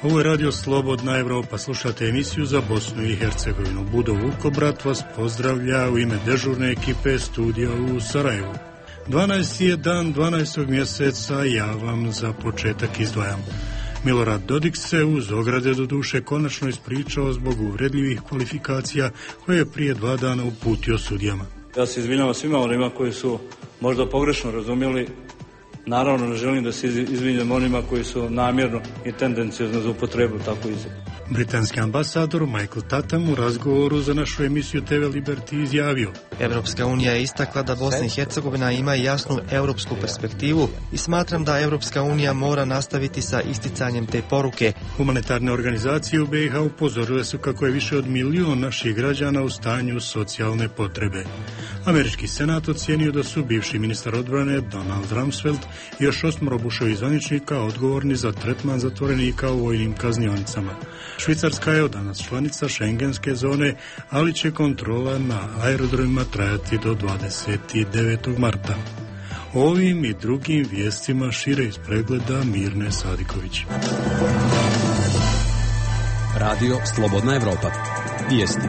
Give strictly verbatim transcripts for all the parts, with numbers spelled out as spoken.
Ovo je Radio Slobodna Evropa. Slušate emisiju za Bosnu i Hercegovinu. Budo Vukobrat vas pozdravlja u ime dežurne ekipe studija u Sarajevu. dvanaesti je dan dvanaestog mjeseca, ja vam za početak izdvajam. Milorad Dodik se uz ograde do duše konačno ispričao zbog uvredljivih kvalifikacija koje je prije dva dana uputio sudijama. Ja se izvinjavam svima onima koji su možda pogrešno razumjeli. Naravno, ne želim da se izvinjam onima koji su namjerno i tendenciozno za upotrebu tako izjavu. Britanski ambasador Michael Tatham u razgovoru za našu emisiju T V Liberty izjavio: Evropska unija je istakla da Bosna i Hercegovina ima jasnu europsku perspektivu i smatram da Evropska unija mora nastaviti sa isticanjem te poruke. Humanitarne organizacije u B i H upozorile su kako je više od milijun naših građana u stanju socijalne potrebe. Američki senat ocijenio da su bivši ministar odbrane Donald Rumsfeld i još osmoro Bushovih zvaničnika odgovorni za tretman zatvorenika u vojnim kaznionicama. Švicarska je od danas članica šengenske zone, ali će kontrola na aerodromima trajati do dvadeset devetog marta. Ovim i drugim vijestima šire iz pregleda Mirne Sadiković. Radio Slobodna Evropa. Vijesti.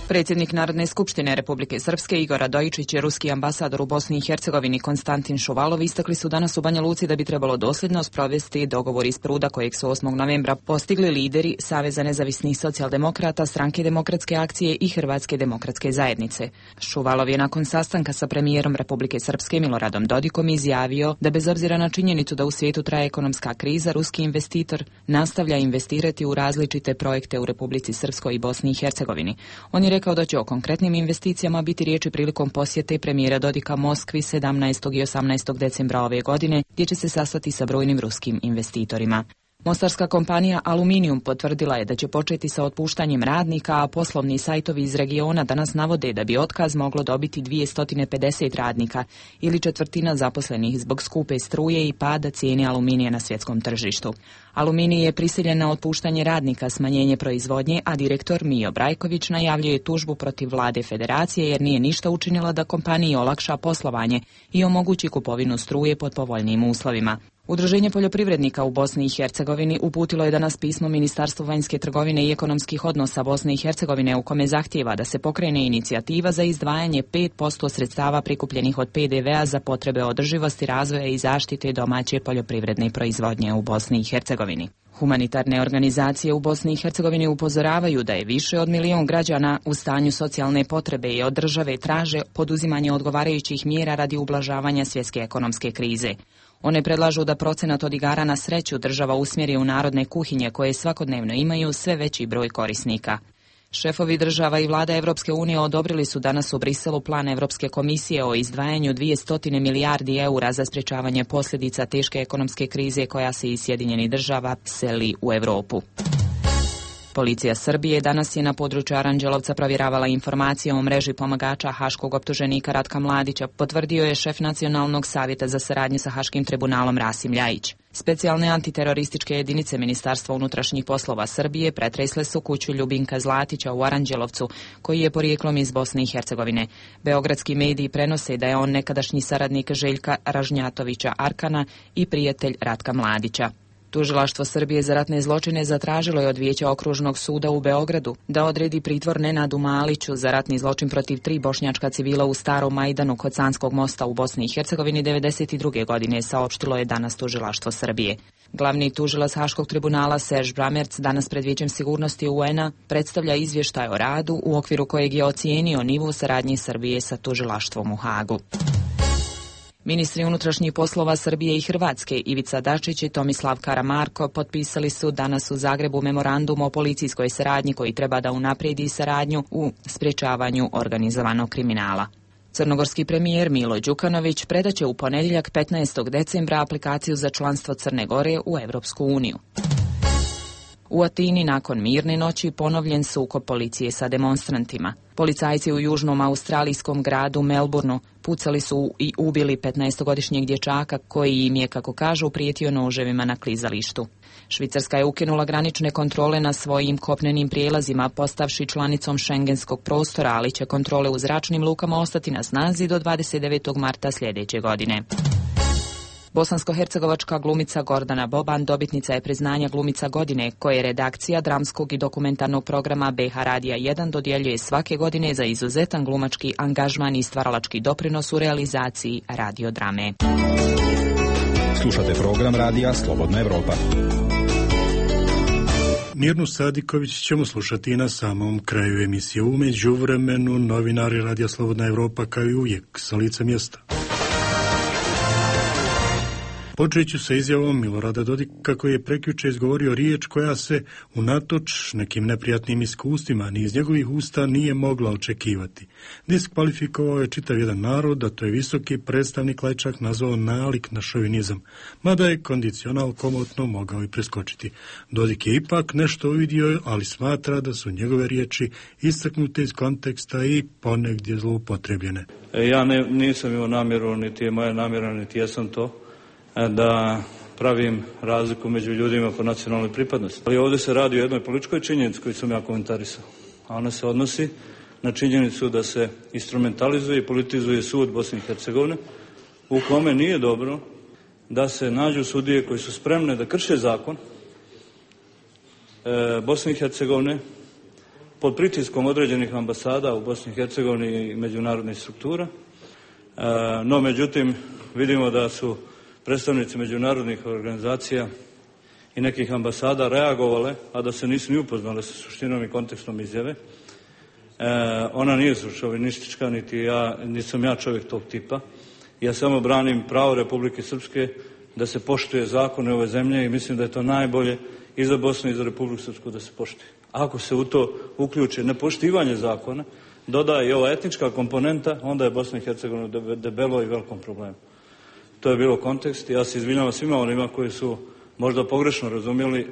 Predsjednik Narodne skupštine Republike Srpske Igor Radojičić i ruski ambasador u Bosni i Hercegovini Konstantin Šuvalov istakli su danas u Banja Luci da bi trebalo dosljedno sprovesti dogovor iz Pruda kojeg su osmog novembra postigli lideri Saveza nezavisnih socijaldemokrata, Stranke demokratske akcije i Hrvatske demokratske zajednice. Šuvalov je nakon sastanka sa premijerom Republike Srpske Miloradom Dodikom izjavio da bez obzira na činjenicu da u svijetu traje ekonomska kriza, ruski investitor nastavlja investirati u različite projekte u Republici Srpskoj i Bosni i Hercegovini. On je rekao da će o konkretnim investicijama biti riječi prilikom posjete premijera Dodika Moskvi sedamnaestog i osamnaestog decembra ove godine, gdje će se sastati sa brojnim ruskim investitorima. Mostarska kompanija Aluminium potvrdila je da će početi sa otpuštanjem radnika, a poslovni sajtovi iz regiona danas navode da bi otkaz moglo dobiti dvjesto pedeset radnika ili četvrtina zaposlenih zbog skupe struje i pada cijene aluminija na svjetskom tržištu. Aluminij je prisiljen na otpuštanje radnika, smanjenje proizvodnje, a direktor Mijo Brajković najavljuje tužbu protiv vlade federacije jer nije ništa učinila da kompaniji olakša poslovanje i omogući kupovinu struje pod povoljnijim uslovima. Udruženje poljoprivrednika u Bosni i Hercegovini uputilo je danas pismo Ministarstvu vanjske trgovine i ekonomskih odnosa Bosne i Hercegovine u kome zahtijeva da se pokrene inicijativa za izdvajanje pet posto sredstava prikupljenih od P D V-a za potrebe održivosti, razvoja i zaštite domaće poljoprivredne proizvodnje u Bosni i Hercegovini. Humanitarne organizacije u Bosni i Hercegovini upozoravaju da je više od milijun građana u stanju socijalne potrebe i od države traže poduzimanje odgovarajućih mjera radi ublažavanja svjetske ekonomske krize. One predlažu da procenat od igara na sreću država usmjeri u narodne kuhinje koje svakodnevno imaju sve veći broj korisnika. Šefovi država i vlada Evropske unije odobrili su danas u Briselu plan Evropske komisije o izdvajanju dvjesto milijardi eura za sprječavanje posljedica teške ekonomske krize koja se iz Sjedinjenih država seli u Europu. Policija Srbije danas je na području Aranđelovca provjeravala informacije o mreži pomagača haškog optuženika Ratka Mladića, potvrdio je šef Nacionalnog savjeta za saradnju sa Haškim tribunalom Rasim Ljajić. Specijalne antiterorističke jedinice Ministarstva unutrašnjih poslova Srbije pretresle su kuću Ljubinka Zlatića u Aranđelovcu, koji je porijeklom iz Bosne i Hercegovine. Beogradski mediji prenose da je on nekadašnji saradnik Željka Ražnjatovića Arkana i prijatelj Ratka Mladića. Tužilaštvo Srbije za ratne zločine zatražilo je od Vijeća okružnog suda u Beogradu da odredi pritvor Nenadu Maliću za ratni zločin protiv tri bošnjačka civila u Starom Majdanu kod Sanskog mosta u Bosni i Hercegovini devedeset druge godine, saopštilo je danas Tužilaštvo Srbije. Glavni tužilac Haškog tribunala Serž Bramerc danas pred Vijećem sigurnosti U N-a predstavlja izvještaj o radu u okviru kojeg je ocijenio nivo saradnje Srbije sa tužilaštvom u Hagu. Ministri unutrašnjih poslova Srbije i Hrvatske Ivica Dačić i Tomislav Karamarko potpisali su danas u Zagrebu memorandum o policijskoj saradnji koji treba da unaprijedi saradnju u sprječavanju organizovanog kriminala. Crnogorski premijer Milo Đukanović predaće u ponedjeljak petnaestog decembra aplikaciju za članstvo Crne Gore u Europsku uniju. U Atini nakon mirne noći ponovljen sukob policije sa demonstrantima. Policajci u južnom australijskom gradu Melbourneu pucali su i ubili petnaestogodišnjeg dječaka koji im je, kako kažu, prijetio noževima na klizalištu. Švicarska je ukinula granične kontrole na svojim kopnenim prijelazima, postavši članicom šengenskog prostora, ali će kontrole u zračnim lukama ostati na snazi do dvadeset devetog marta sljedeće godine. Bosansko-hercegovačka glumica Gordana Boban dobitnica je priznanja glumica godine koje redakcija dramskog i dokumentarnog programa B H Radija jedan dodjeljuje svake godine za izuzetan glumački angažman i stvaralački doprinos u realizaciji radiodrame. Slušate program Radija Slobodna Evropa. Mirnu Sadiković ćemo slušati na samom kraju emisije. U međuvremenu novinari Radija Slobodna Evropa kao i uvijek sa lica mjesta. Počet ću sa izjavom Milorada Dodika koji je prekjuče izgovorio riječ koja se unatoč nekim neprijatnim iskustvima ni iz njegovih usta nije mogla očekivati. Diskvalifikovao je čitav jedan narod, a to je visoki predstavnik Lajčak nazvao nalik na šovinizam, mada je kondicional komotno mogao i preskočiti. Dodik je ipak nešto uvidio, ali smatra da su njegove riječi istaknute iz konteksta i ponegdje zloupotrebljene. Ja ne, nisam imao namjeru, niti je moja namjera, niti jesam to, da pravim razliku među ljudima po nacionalnoj pripadnosti. Ali ovdje se radi o jednoj političkoj činjenici koju sam ja komentarisao. A ona se odnosi na činjenicu da se instrumentalizuje i politizuje sud Bosne i Hercegovine, u kome nije dobro da se nađu sudije koji su spremne da krše zakon e, Bosne i Hercegovine pod pritiskom određenih ambasada u Bosni i Hercegovini i međunarodnih struktura. E, no, međutim, vidimo da su predstavnici međunarodnih organizacija i nekih ambasada reagovale, a da se nisu ni upoznale sa suštinom i kontekstom izjave. E, ona nije šovinistička, niti ja, nisam ja čovjek tog tipa. Ja samo branim pravo Republike Srpske da se poštuje zakone ove zemlje i mislim da je to najbolje i za Bosnu i za Republiku Srpsku da se poštuje. Ako se u to uključi nepoštivanje zakona, dodaje i ova etnička komponenta, onda je Bosna i Hercegovina debelo i velikom problemu. To je bilo kontekst. Ja se izvinjavam svima onima koji su možda pogrešno razumjeli.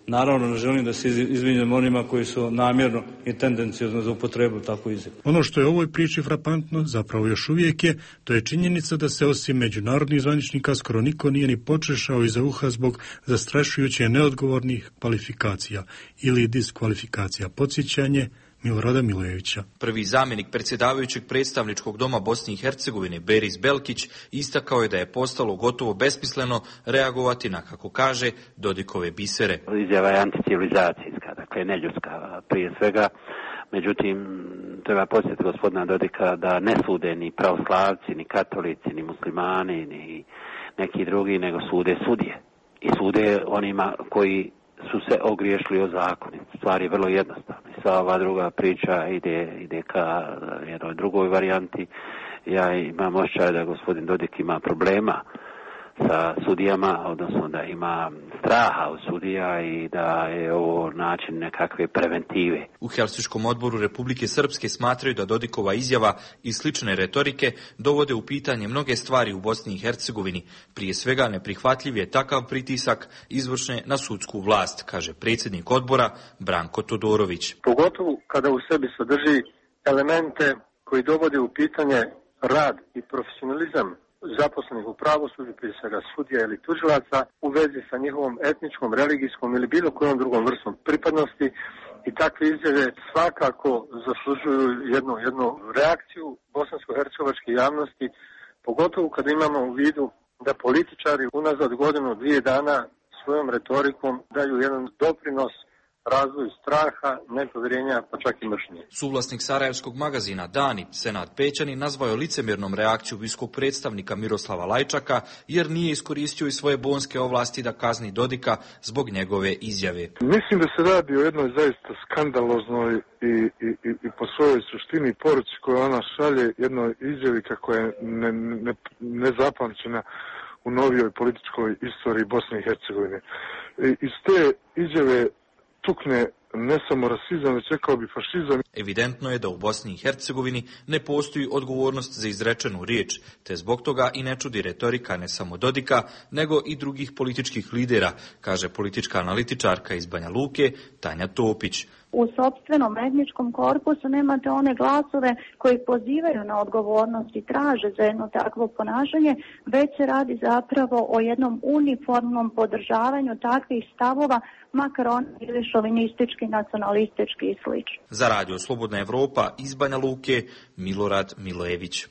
Naravno, ne želim da se izvinjam onima koji su namjerno i tendencijozno za upotrebu takvu izjavu. Ono što je u ovoj priči frapantno, zapravo još uvijek je, to je činjenica da se osim međunarodnih zvaničnika skoro niko nije ni počešao iza uha zbog zastrašujuće neodgovornih kvalifikacija ili diskvalifikacija. Podsjećanje Milorada Milojevića. Prvi zamjenik predsjedavajućeg predstavničkog doma Bosne i Hercegovine, Beris Belkić, istakao je da je postalo gotovo besmisleno reagovati na, kako kaže, Dodikove bisere. Izjava je anticivilizacijska, dakle neljudska prije svega. Međutim, treba podsjetiti gospodina Dodika da ne sude ni pravoslavci, ni katolici, ni muslimani, ni neki drugi, nego sude sudije. I sude onima koji su se ogriješili o zakoni. Stvar je vrlo jednostavna. Sva ova druga priča ide, ide ka jednoj drugoj varijanti. Ja imam osjećaj da gospodin Dodik ima problema sa sudijama, odnosno da ima straha od sudija i da je ovo način nekakve preventive. U Helsinškom odboru Republike Srpske smatraju da Dodikova izjava i slične retorike dovode u pitanje mnoge stvari u Bosni i Hercegovini. Prije svega neprihvatljiv je takav pritisak izvršne na sudsku vlast, kaže predsjednik odbora Branko Todorović. Pogotovo kada u sebi sadrži elemente koji dovode u pitanje rad i profesionalizam zaposlenih u pravosuđu, prije svega sudija ili tužilaca, u vezi sa njihovom etničkom, religijskom ili bilo kojom drugom vrstom pripadnosti, i takve izjave svakako zaslužuju jednu, jednu reakciju bosansko-hercegovačke javnosti, pogotovo kada imamo u vidu da političari unazad godinu, dvije dana svojom retorikom daju jedan doprinos razvoju straha, nepovjerenja, pa čak i mržnje. Suvlasnik sarajevskog magazina Dani, Senad Pećani, nazvao je licemjernom reakciju viskog predstavnika Miroslava Lajčaka, jer nije iskoristio i svoje bonske ovlasti da kazni Dodika zbog njegove izjave. Mislim da se radi o jednoj zaista skandaloznoj i, i, i, i po svojoj suštini poruci koju ona šalje, jednoj izjavi kako je ne, ne, nezapamćena u novijoj političkoj istoriji Bosne i Hercegovine. I, iz te izjave tukne ne samo rasizam, već rekao bi fašizam. Evidentno je da u Bosni i Hercegovini ne postoji odgovornost za izrečenu riječ, te zbog toga i ne čudi retorika ne samo Dodika, nego i drugih političkih lidera, kaže politička analitičarka iz Banja Luke, Tanja Topić. U sopstvenom etničkom korpusu nemate one glasove koji pozivaju na odgovornost i traže za jedno takvo ponašanje, već se radi zapravo o jednom uniformnom podržavanju takvih stavova, makar oni bili šovinistički, nacionalistički i slično. Za Radio Slobodna Evropa iz Banja Luke, Milorad Milojević.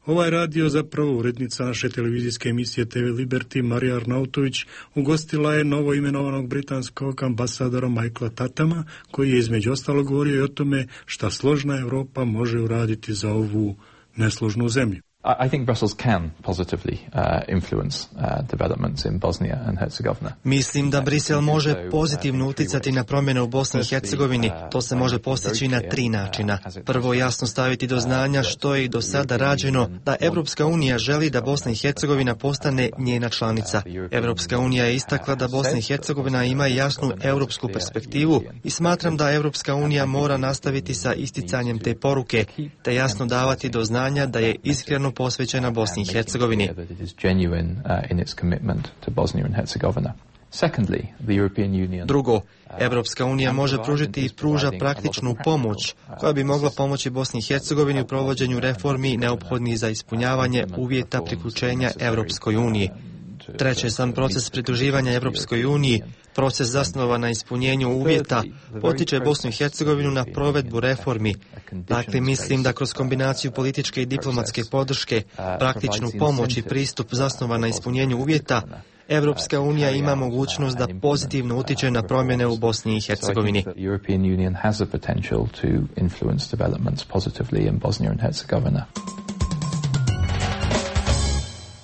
Ovaj radio zapravo urednica naše televizijske emisije T V Liberty Marija Arnautović ugostila je novo imenovanog britanskog ambasadora Michaela Tatama, koji je između ostalog govorio i o tome šta složna Europa može uraditi za ovu nesložnu zemlju. I think Brussels can positively uh, influence uh, developments in Bosnia and Herzegovina. Mislim da Brisel može pozitivno utjecati na promjene u Bosni i Hercegovini. To se može postići na tri načina. Prvo, jasno staviti do znanja što je i do sada rađeno, da Evropska unija želi da Bosna i Hercegovina postane njena članica. Evropska unija je istakla da Bosna i Hercegovina ima jasnu europsku perspektivu i smatram da Evropska unija mora nastaviti sa isticanjem te poruke, te jasno davati do znanja da je iskreno posvećena Bosni i Hercegovini. Drugo, Evropska unija može pružiti i pruža praktičnu pomoć koja bi mogla pomoći Bosni i Hercegovini u provođenju reformi neophodnih za ispunjavanje uvjeta priključenja Evropskoj uniji. Treće, sam proces pridruživanja Evropskoj uniji, proces zasnovan na ispunjenju uvjeta, potiče Bosnu i Hercegovinu na provedbu reformi. Dakle, mislim da kroz kombinaciju političke i diplomatske podrške, praktičnu pomoć i pristup zasnovan na ispunjenju uvjeta, Evropska unija ima mogućnost da pozitivno utiče na promjene u Bosni i Hercegovini.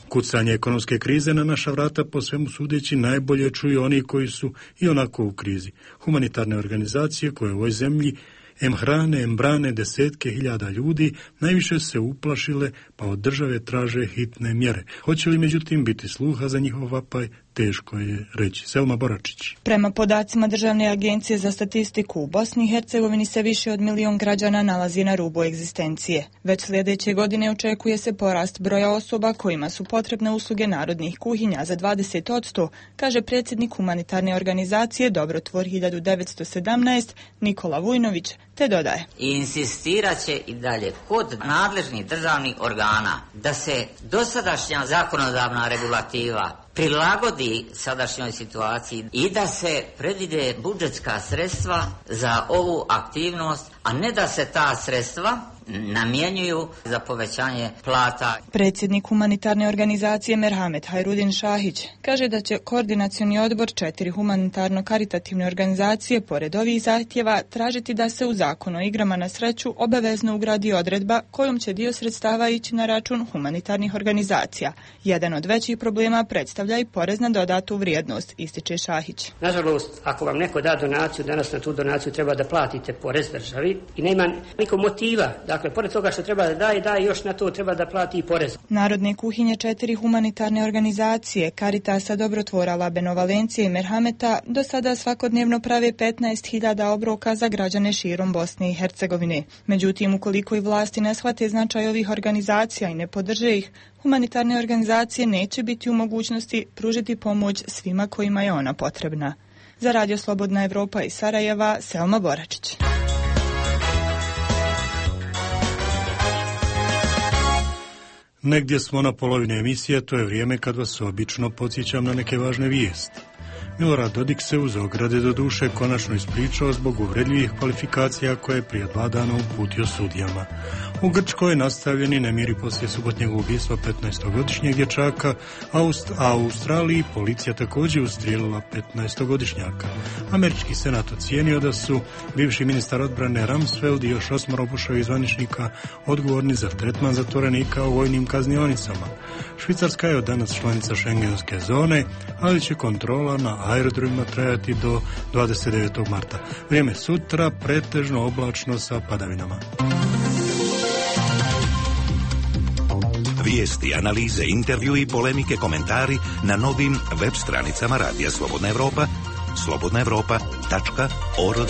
Kucanje ekonomske krize na naša vrata po svemu sudeći najbolje čuju oni koji su i onako u krizi. Humanitarne organizacije koje u ovoj zemlji em hrane, em brane desetke hiljada ljudi, najviše se uplašile pa od države traže hitne mjere. Hoće li međutim biti sluha za njihov vapaj, teško je reći. Selma Boračić. Prema podacima Državne agencije za statistiku, u Bosni i Hercegovini se više od milion građana nalazi na rubu egzistencije. Već sljedeće godine očekuje se porast broja osoba kojima su potrebne usluge narodnih kuhinja za dvadeset posto, kaže predsjednik humanitarne organizacije Dobrotvor hiljadu devetsto sedamnaest Nikola Vujnović, te dodaje. Insistirat će i dalje kod nadležnih državnih organa da se dosadašnja zakonodavna regulativa prilagodi sadašnjoj situaciji i da se predvide budžetska sredstva za ovu aktivnost, a ne da se ta sredstva namjenjuju za povećanje plata. Predsjednik humanitarne organizacije Merhamet Hajrudin Šahić kaže da će koordinacioni odbor četiri humanitarno-karitativne organizacije pored ovih zahtjeva tražiti da se u zakon o igrama na sreću obavezno ugradi odredba kojom će dio sredstava ići na račun humanitarnih organizacija. Jedan od većih problema predstavlja i porez na dodatu vrijednost, ističe Šahić. Nažalost, ako vam neko da donaciju, danas na tu donaciju treba da platite porez državi i nema nikog motiva. Dakle, pored toga što treba da daje, daje još na to treba da plati i porez. Narodne kuhinje četiri humanitarne organizacije, Caritasa, Dobrotvora, Labeno, Valencije i Merhameta, do sada svakodnevno prave petnaest hiljada obroka za građane širom Bosne i Hercegovine. Međutim, ukoliko i vlasti ne shvate značaj ovih organizacija i ne podrže ih, humanitarne organizacije neće biti u mogućnosti pružiti pomoć svima kojima je ona potrebna. Za Radio Slobodna Evropa iz Sarajeva, Selma Boračić. Negdje smo na polovini emisije, to je vrijeme kad vas obično podsjećam na neke važne vijesti. Milorad Dodik se uz ograde do duše konačno ispričao zbog uvredljivih kvalifikacija koje je prije dva dana uputio sudijama. U Grčkoj je nastavljeni nemiri poslije subotnjeg ubistva petnaestogodišnjeg dječaka, a u Australiji policija također ustrijelila petnaestogodišnjaka. Američki senat ocijenio da su bivši ministar odbrane Rumsfeld i još osmoro Bushovih zvaničnika odgovorni za tretman zatvorenika u vojnim kaznionicama. Švicarska je od danas članica šengenske zone, ali će kontrola na aerodromima trajati do dvadeset devetog marta. Vrijeme sutra pretežno oblačno sa padavinama. Vijesti, analize, intervju i polemike, komentari na novim web stranicama Radija Slobodna Evropa, slobodna evropa tačka org.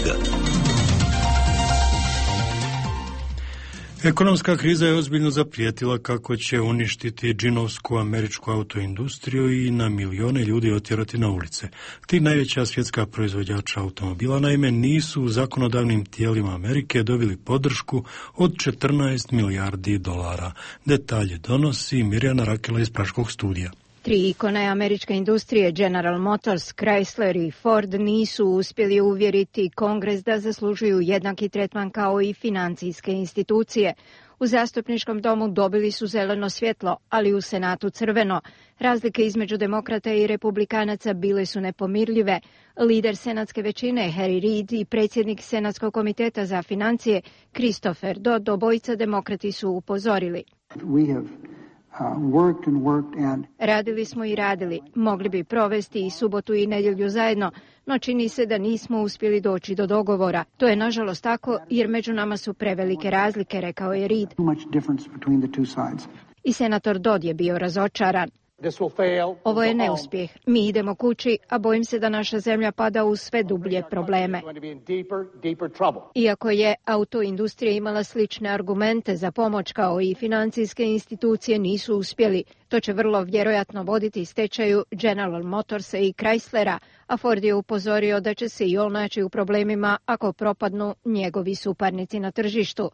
Ekonomska kriza je ozbiljno zaprijetila kako će uništiti džinovsku američku autoindustriju i na milijone ljudi otjerati na ulice. Ti najveća svjetska proizvođača automobila naime nisu u zakonodavnim tijelima Amerike dobili podršku od četrnaest milijardi dolara. Detalje donosi Mirjana Rakela iz Praškog studija. Tri ikone američke industrije, General Motors, Chrysler i Ford, nisu uspjeli uvjeriti Kongres da zaslužuju jednaki tretman kao i financijske institucije. U zastupničkom domu dobili su zeleno svjetlo, ali u Senatu crveno. Razlike između demokrata i republikanaca bile su nepomirljive. Lider senatske većine Harry Reid i predsjednik Senatskog komiteta za financije Christopher Dodd, obojica demokrati, su upozorili. Radili smo i radili. Mogli bi provesti i subotu i nedjelju zajedno, no čini se da nismo uspjeli doći do dogovora. To je nažalost tako jer među nama su prevelike razlike, rekao je Reid. I senator Dodd je bio razočaran. Ovo je neuspjeh. Mi idemo kući, a bojim se da naša zemlja pada u sve dublje probleme. Iako je autoindustrija imala slične argumente za pomoć kao i financijske institucije, nisu uspjeli. To će vrlo vjerojatno voditi stečaju General Motorsa i Chryslera, a Ford je upozorio da će se i on naći u problemima ako propadnu njegovi suparnici na tržištu.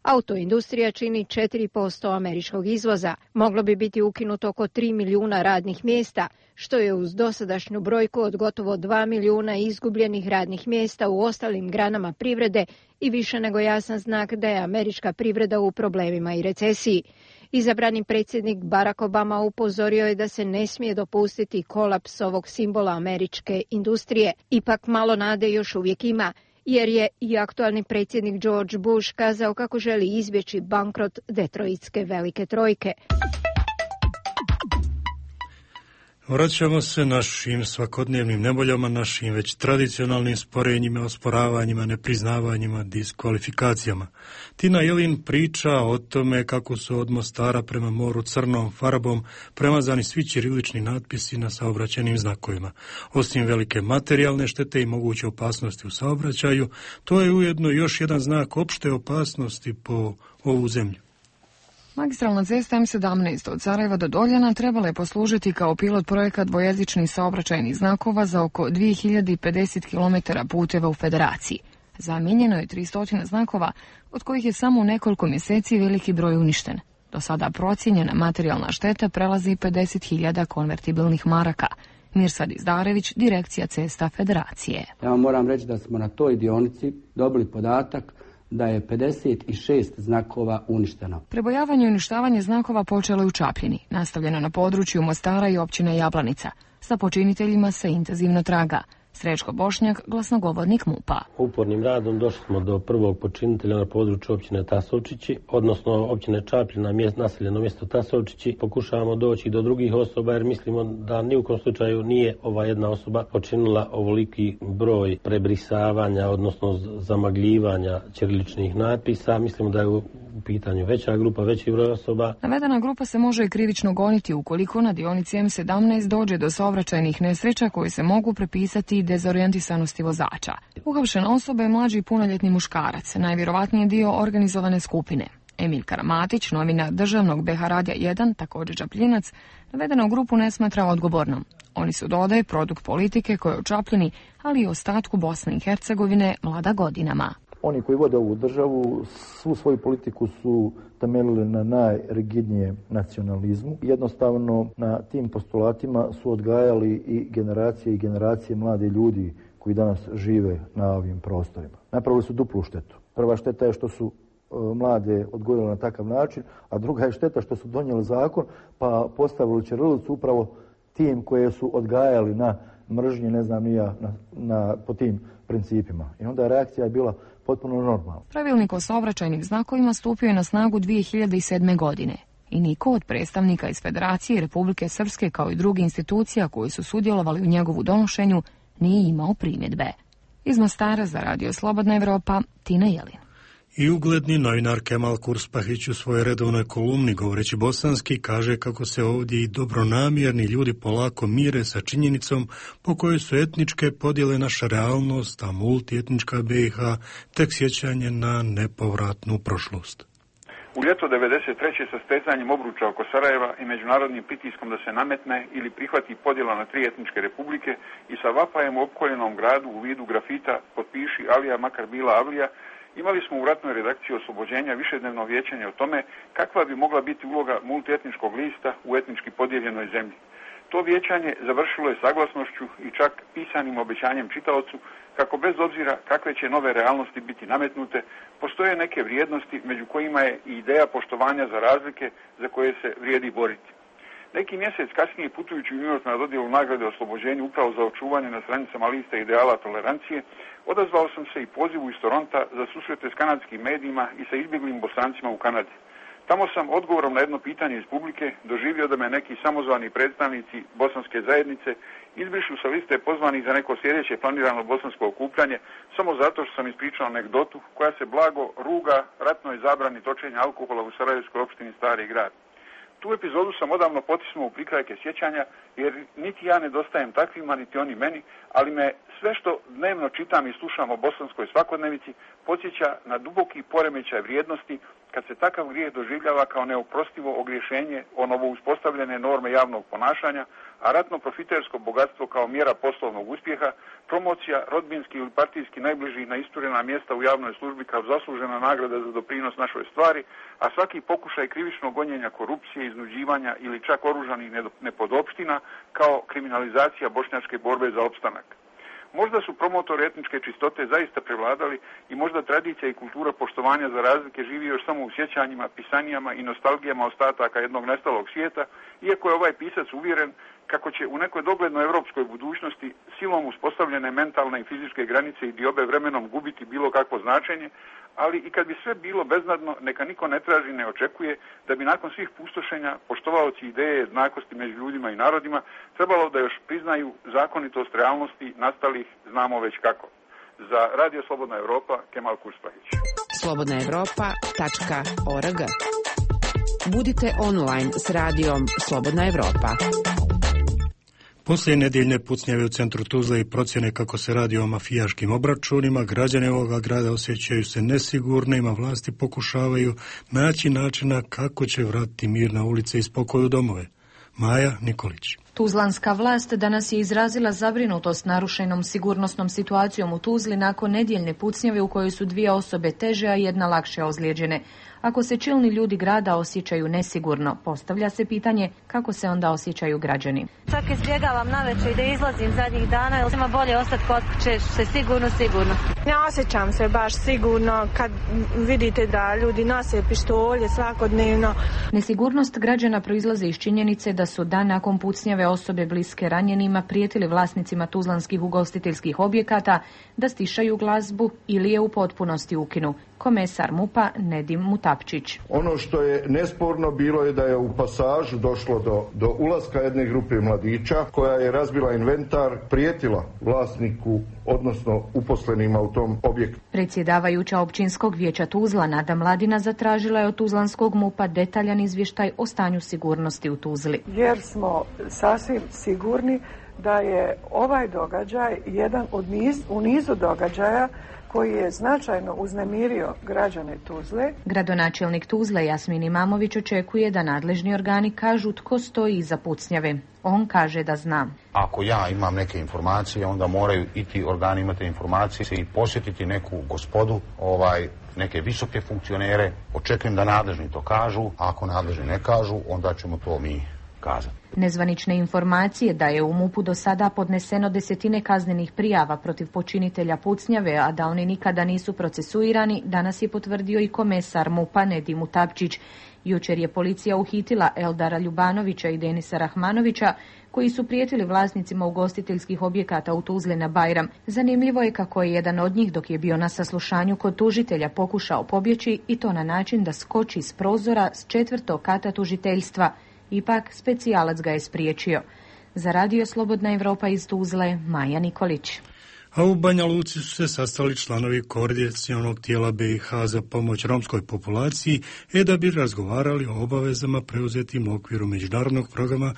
Autoindustrija čini četiri posto američkog izvoza. Moglo bi biti ukinuto oko tri milijuna radnih mjesta, što je uz dosadašnju brojku od gotovo dva milijuna izgubljenih radnih mjesta u ostalim granama privrede i više nego jasan znak da je američka privreda u problemima i recesiji. Izabrani predsjednik Barack Obama upozorio je da se ne smije dopustiti kolaps ovog simbola američke industrije. Ipak malo nade još uvijek ima, jer je i aktualni predsjednik George Bush kazao kako želi izbjeći bankrot Detroitske velike trojke. Vraćamo se našim svakodnevnim neboljama, našim već tradicionalnim sporenjima, osporavanjima, nepriznavanjima, diskvalifikacijama. Tina Jelin priča o tome kako su od Mostara prema moru crnom farbom premazani svi ćirilični natpisi na saobraćajnim znakovima. Osim velike materijalne štete i moguće opasnosti u saobraćaju, to je ujedno još jedan znak opšte opasnosti po ovu zemlju. Magistralna cesta M sedamnaest od Sarajeva do Doljana trebala je poslužiti kao pilot projekta dvojezičnih saobraćajnih znakova za oko dvije hiljade pedeset kilometara puteva u Federaciji. Zamijenjeno je tristo znakova, od kojih je samo u nekoliko mjeseci veliki broj uništen. Do sada procijenjena materijalna šteta prelazi pedeset hiljada konvertibilnih maraka. Mirsad Izdarević, Direkcija cesta Federacije. Ja vam moram reći da smo na toj dionici dobili podatak da je pedeset šest znakova uništeno. Prebojavanje i uništavanje znakova počelo je u Čapljini, nastavljeno na području Mostara i općine Jablanica. Sa počiniteljima se intenzivno traga. Srećko Bošnjak, glasnogovornik MUP-a. Upornim radom došli smo do prvog počinitelja na području općine Tasovčići, odnosno općine Čapljina, mjest, naseljeno mjesto Tasovčići. Pokušavamo doći do drugih osoba jer mislimo da ni u kom slučaju nije ova jedna osoba počinila ovoliki broj prebrisavanja, odnosno zamagljivanja ćiriličnih natpisa. Mislimo da je u pitanju veća grupa, veći broj osoba. Navedena grupa se može i krivično goniti ukoliko na dionici M sedamnaest dođe do saobraćajnih nesreća koje se mogu prepisati dezorijentisanosti vozača. Uhapšena osoba je mlađi punoljetni muškarac, najvjerovatnije dio organizovane skupine. Emil Karamatić, novinar državnog B H Radija jedan, također Čapljinac, navedenu grupu ne smatra odgovornom. Oni su, dodaje, produkt politike koja je u Čapljini, ali i ostatku Bosne i Hercegovine vlada godinama. Oni koji vode ovu državu svu svoju politiku su temeljili na najrigidnijem nacionalizmu. Jednostavno na tim postulatima su odgajali i generacije i generacije mladi ljudi koji danas žive na ovim prostorima. Napravili su duplu štetu. Prva šteta je što su mlade odgojili na takav način, a druga je šteta što su donijeli zakon pa postavili ćirilicu upravo tim koje su odgajali na mržnji, ne znam ni ja, na, na, po tim principima. I onda reakcija je bila potpuno normalna. Pravilnik o saobraćajnim znakovima stupio je na snagu dvije hiljade sedme. godine. I niko od predstavnika iz Federacije Republike Srpske kao i druge institucija koji su sudjelovali u njegovu donošenju nije imao primjedbe. Iz Mostara za Radio Slobodna Evropa, Tina Jelin. I ugledni novinar Kemal Kurspahić u svojoj redovnoj kolumni govoreći bosanski kaže kako se ovdje i dobronamjerni ljudi polako mire sa činjenicom po kojoj su etničke podjele naša realnost, a multietnička B i H tek sjećanje na nepovratnu prošlost. U ljeto devedeset treće sa stezanjem obruča oko Sarajeva i međunarodnim pritiskom da se nametne ili prihvati podjela na tri etničke republike i sa vapajem u opkoljenom gradu u vidu grafita potpiši Alija makar bila Avlija, imali smo u ratnoj redakciji Oslobođenja višednevno vijećanje o tome kakva bi mogla biti uloga multietničkog lista u etnički podijeljenoj zemlji. To vijećanje završilo je saglasnošću i čak pisanim obećanjem čitaocu kako bez obzira kakve će nove realnosti biti nametnute, postoje neke vrijednosti među kojima je i ideja poštovanja za razlike za koje se vrijedi boriti. Neki mjesec kasnije, putujući u New York na dodjelu nagrade o oslobođenju upravo za očuvanje na stranicama liste ideala tolerancije, odazvao sam se i pozivu iz Toronta za susrete s kanadskim medijima i sa izbjeglim Bosancima u Kanadi. Tamo sam odgovorom na jedno pitanje iz publike doživio da me neki samozvani predstavnici bosanske zajednice izbrišu sa liste pozvanih za neko sljedeće planirano bosansko okupljanje samo zato što sam ispričao anegdotu koja se blago ruga ratnoj zabrani točenja alkohola u Sarajevskoj opštini Stari grad. Tu epizodu sam odavno potisnuo u prikrajke sjećanja, jer niti ja nedostajem takvima, niti oni meni, ali me sve što dnevno čitam i slušam o bosanskoj svakodnevici podsjeća na duboki poremećaj vrijednosti kad se takav grijeh doživljava kao neoprostivo ogriješenje o novo uspostavljene norme javnog ponašanja, a ratno profitersko bogatstvo kao mjera poslovnog uspjeha, promocija rodbinski ili partijski najbliži na isturena mjesta u javnoj službi kao zaslužena nagrada za doprinos našoj stvari, a svaki pokušaj krivičnog gonjenja korupcije, iznuđivanja ili čak oružanih nepodopština kao kriminalizacija bošnjačke borbe za opstanak. Možda su promotori etničke čistote zaista prevladali i možda tradicija i kultura poštovanja za razlike živi još samo u sjećanjima, pisanijama i nostalgijama ostataka jednog nestalog svijeta, iako je ovaj pisac uvjeren kako će u nekoj doglednoj europskoj budućnosti silom uspostavljene mentalne i fizičke granice i diobe vremenom gubiti bilo kakvo značenje, ali i kad bi sve bilo beznadno, neka niko ne traži, ne očekuje da bi nakon svih pustošenja poštovaoci ideje jednakosti među ljudima i narodima trebalo da još priznaju zakonitost realnosti nastalih znamo već kako. Za Radio Slobodna Evropa, Kemal Kurspahić. slobodna evropa tačka org. Budite online s radijom Slobodna Evropa. Poslije nedjeljne pucnjave u centru Tuzle i procjene kako se radi o mafijaškim obračunima, građani ovoga grada osjećaju se nesigurno, a vlasti pokušavaju naći načina kako će vratiti mir na ulice i spokoj u domove. Maja Nikolić. Tuzlanska vlast danas je izrazila zabrinutost narušenom sigurnosnom situacijom u Tuzli nakon nedjeljne pucnjave u kojoj su dvije osobe teže, a jedna lakše ozlijeđene. Ako se čelni ljudi grada osjećaju nesigurno, postavlja se pitanje kako se onda osjećaju građani. Čak izbjegavam navečer i da izlazim zadnjih dana, jer ima bolje ostati kod kuće, se sigurno, sigurno. Ne osjećam se baš sigurno kad vidite da ljudi nose pištolje svakodnevno. Nesigurnost građana proizlazi iz činjenice da su dan nakon pucnjave osobe bliske ranjenima prijetili vlasnicima tuzlanskih ugostiteljskih objekata da stišaju glazbu ili je u potpunosti ukinu. Komesar MUP-a Nedim Mutapčić. Ono što je nesporno bilo je da je u pasažu došlo do, do ulaska jedne grupe mladića koja je razbila inventar, prijetila vlasniku, odnosno uposlenima u tom objektu. Predsjedavajuća općinskog vijeća Tuzla Nada Mladina zatražila je od tuzlanskog MUP-a detaljan izvještaj o stanju sigurnosti u Tuzli. Jer smo sasvim sigurni da je ovaj događaj jedan od niz, u nizu događaja koji je značajno uznemirio građane Tuzle. Gradonačelnik Tuzle Jasmin Imamović očekuje da nadležni organi kažu tko stoji iza pucnjave. On kaže da zna. Ako ja imam neke informacije, onda moraju i ti organi imati informacije i posjetiti neku gospodu, ovaj, neke visoke funkcionere. Očekujem da nadležni to kažu, a ako nadležni ne kažu, onda ćemo to mi kazati. Nezvanične informacije da je u MUP-u do sada podneseno desetine kaznenih prijava protiv počinitelja pucnjave, a da oni nikada nisu procesuirani, danas je potvrdio i komesar MUP-a Nedim Mutapčić. Jučer je policija uhitila Eldara Ljubanovića i Denisa Rahmanovića, koji su prijetili vlasnicima ugostiteljskih objekata u Tuzli na Bajram. Zanimljivo je kako je jedan od njih, dok je bio na saslušanju kod tužitelja, pokušao pobjeći i to na način da skoči s prozora s četvrtog kata tužiteljstva. Ipak, specijalac ga je spriječio. Za Radio Slobodna Evropa iz Tuzle, Maja Nikolić. A u Banja Luci su se sastali članovi koordinacionog tijela B i H za pomoć romskoj populaciji, e da bi razgovarali o obavezama preuzetim u okviru međunarodnog programa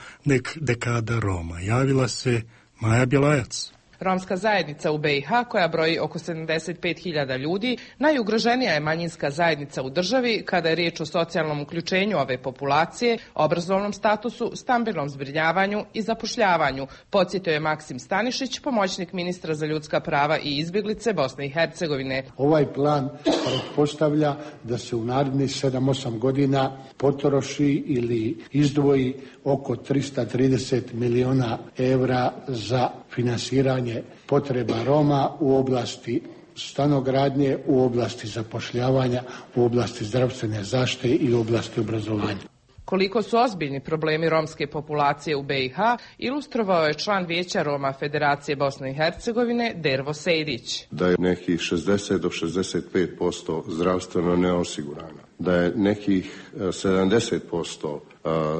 Dekada Roma. Javila se Maja Bjelajac. Romska zajednica u be i ha, koja broji oko sedamdeset pet hiljada ljudi, najugroženija je manjinska zajednica u državi kada je riječ o socijalnom uključenju ove populacije, obrazovnom statusu, stambenom zbrinjavanju i zapošljavanju, podsjetio je Maksim Stanišić, pomoćnik ministra za ljudska prava i izbjeglice Bosne i Hercegovine. Ovaj plan pretpostavlja da se u narednih sedam osam godina potroši ili izdvoji oko tristo trideset milijuna evra za finansiranje potreba Roma u oblasti stanogradnje, u oblasti zapošljavanja, u oblasti zdravstvene zaštite i u oblasti obrazovanja. Koliko su ozbiljni problemi romske populacije u be i ha, ilustrovao je član Vijeća Roma Federacije Bosne i Hercegovine Dervo Sejdić. Da je nekih šezdeset do šezdeset pet posto zdravstveno neosigurano, da je nekih sedamdeset posto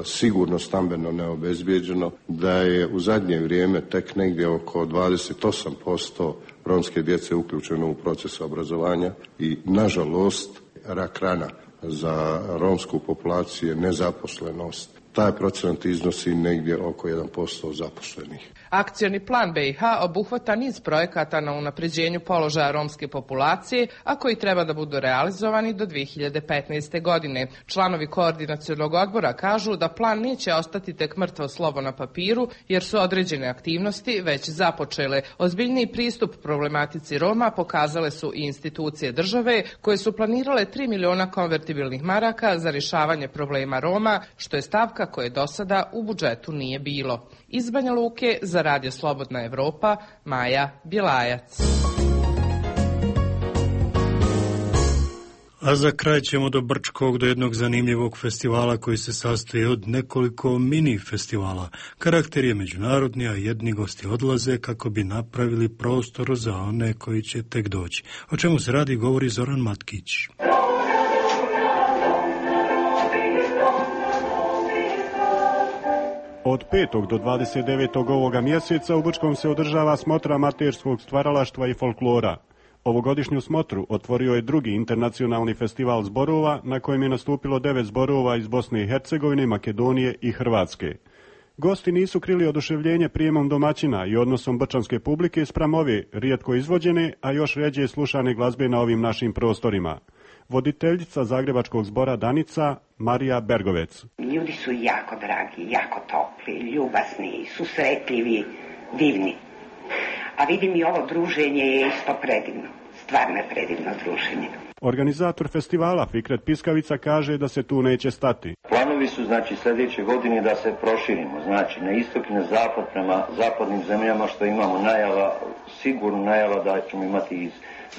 sigurno stambeno neobezbijeđeno, da je u zadnje vrijeme tek negdje oko dvadeset osam posto romske djece uključeno u proces obrazovanja i, nažalost, rak rana za romsku populaciju je nezaposlenost. Taj procenat iznosi negdje oko jedan posto zaposlenih. Akcioni plan be i ha obuhvata niz projekata na unapređenju položaja romske populacije, a koji treba da budu realizovani do dvije hiljade petnaeste. godine. Članovi koordinacionog odbora kažu da plan neće ostati tek mrtvo slovo na papiru, jer su određene aktivnosti već započele. Ozbiljniji pristup problematici Roma pokazale su i institucije države, koje su planirale tri miliona konvertibilnih maraka za rješavanje problema Roma, što je stavka koje do sada u budžetu nije bilo. Iz Banja Luke za Radio Slobodna Evropa, Maja Bjelajac. A za kraj ćemo do Brčkog, do jednog zanimljivog festivala koji se sastoji od nekoliko mini festivala. Karakter je međunarodni, a jedni gosti odlaze kako bi napravili prostor za one koji će tek doći. O čemu se radi, govori Zoran Matkić. Od petog do dvadeset devetog ovoga mjeseca u Brčkom se održava smotra amaterskog stvaralaštva i folklora. Ovogodišnju smotru otvorio je drugi internacionalni festival zborova na kojem je nastupilo devet zborova iz Bosne i Hercegovine, Makedonije i Hrvatske. Gosti nisu krili oduševljenje prijemom domaćina i odnosom brčanske publike spram ove rijetko izvođene, a još rjeđe slušane glazbe na ovim našim prostorima. Voditeljica Zagrebačkog zbora Danica, Marija Bergovec. Ljudi su jako dragi, jako topli, ljubasni, susretljivi, divni. A vidim i ovo druženje je isto predivno, stvarno je predivno druženje. Organizator festivala Fikret Piskavica kaže da se tu neće stati. Planovi su znači sljedeće godine da se proširimo, znači na istok i na zapad prema zapadnim zemljama, što imamo najava, sigurno najava da ćemo imati iz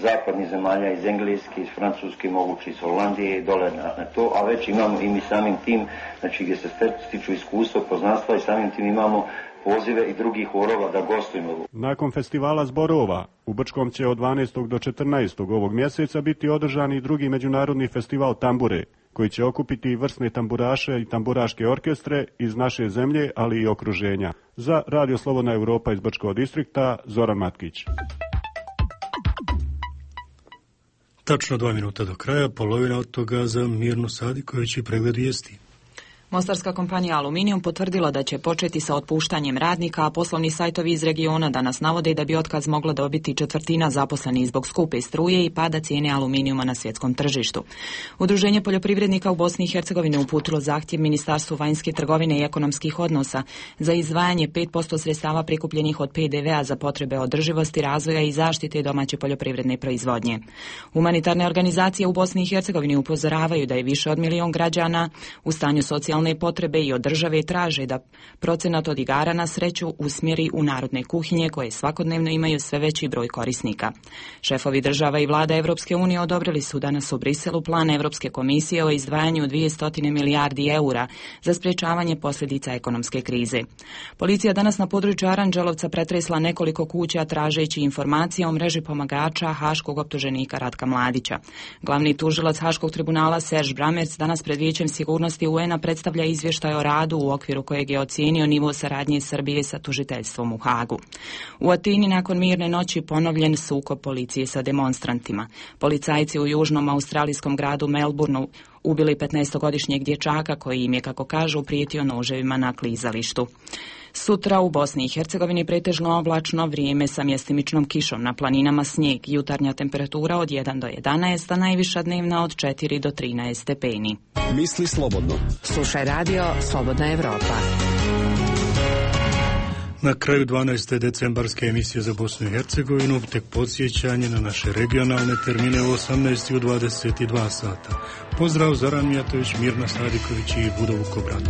zapadnih zemalja, iz Engleske, iz Francuske, moguće iz Holandije i dole na, na to, a već imamo i mi samim tim, znači gdje se stiču iskustvo, poznanstva i samim tim imamo pozive i drugih horova da gostujemo. Nakon festivala zborova, u Brčkom će od dvanaestog do četrnaestog ovog mjeseca biti održan i drugi međunarodni festival tambure, koji će okupiti vrsne tamburaše i tamburaške orkestre iz naše zemlje, ali i okruženja. Za Radio Slobodna Evropa iz Brčkog distrikta, Zoran Matkić. Tačno dva minuta do kraja, polovina od toga za Mirnu Sadiković i pregled vijesti. Mostarska kompanija Aluminijum potvrdila da će početi sa otpuštanjem radnika, a poslovni sajtovi iz regiona danas navode da bi otkaz mogla dobiti četvrtina zaposlenih zbog skupe struje i pada cijene aluminijuma na svjetskom tržištu. Udruženje poljoprivrednika u Bosni i Hercegovini uputilo zahtjev Ministarstvu vanjske trgovine i ekonomskih odnosa za izdvajanje pet posto sredstava prikupljenih od pe de vea za potrebe održivosti, razvoja i zaštite domaće poljoprivredne proizvodnje. Humanitarne organizacije u Bosni i Hercegovini upozoravaju da je više od milion građana u stanju socijalne potrebe i od države traže da procenat od igara na sreću usmjeri u narodne kuhinje koje svakodnevno imaju sve veći broj korisnika. Šefovi država i vlada Evropske unije odobrili su danas u Briselu plan Evropske komisije o izdvajanju dvjesto milijardi eura za sprječavanje posljedica ekonomske krize. Policija danas na području Aranđelovca pretresla nekoliko kuća tražeći informacije o mreži pomagača haškog optuženika Ratka Mladića. Glavni tužilac Haškog tribunala Serge Bramerc danas pred Vijećem sigurnosti u en a predstavlja izvještaj o radu u okviru kojeg je ocijenio nivo saradnje Srbije sa tužiteljstvom u Hagu. U Atini nakon mirne noći ponovljen sukob policije sa demonstrantima. Policajci u južnom australijskom gradu Melbourneu ubili petnaestogodišnjeg dječaka koji im je, kako kažu, prijetio noževima na klizalištu. Sutra u Bosni i Hercegovini pretežno oblačno vrijeme sa mjestimičnom kišom, na planinama snijeg, jutarnja temperatura od jedan do jedanaest, a najviša dnevna od četiri do trinaest stepeni. Misli slobodno. Slušaj radio Slobodna Evropa. Na kraju dvanaeste decembarske emisije za Bosnu i Hercegovinu tek podsjećanje na naše regionalne termine u osamnaest i u dvadeset dva sata. Pozdrav, Zoran Mijatović, Mirna Sadiković i Budo Vukobrat.